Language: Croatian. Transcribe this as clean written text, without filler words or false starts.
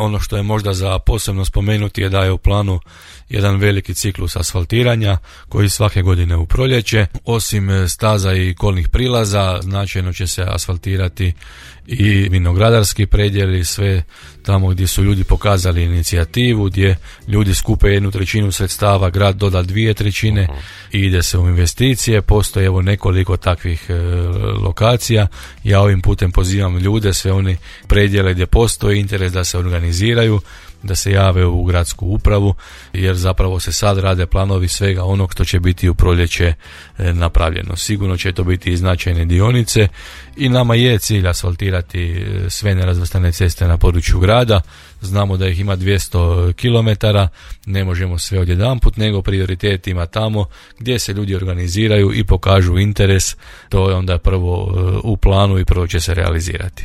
Ono što je možda za posebno spomenuti je da je u planu jedan veliki ciklus asfaltiranja koji svake godine u proljeće. Osim staza i kolnih prilaza, značajno će se asfaltirati i vinogradarski predjeli, sve tamo gdje su ljudi pokazali inicijativu, gdje ljudi skupe 1/3 sredstava, grad doda 2/3 i ide se u investicije. Postoje evo nekoliko takvih lokacija. Ja ovim putem pozivam ljude, sve oni predjele gdje postoji interes da se organiziraju, da se jave u gradsku upravu, jer zapravo se sad rade planovi svega onog što će biti u proljeće napravljeno. Sigurno će to biti i značajne dionice i nama je cilj asfaltirati sve nerazvrstane ceste na području grada. Znamo da ih ima 200 km, ne možemo sve odjedanput, nego prioritet ima tamo gdje se ljudi organiziraju i pokažu interes. To je onda prvo u planu i prvo će se realizirati.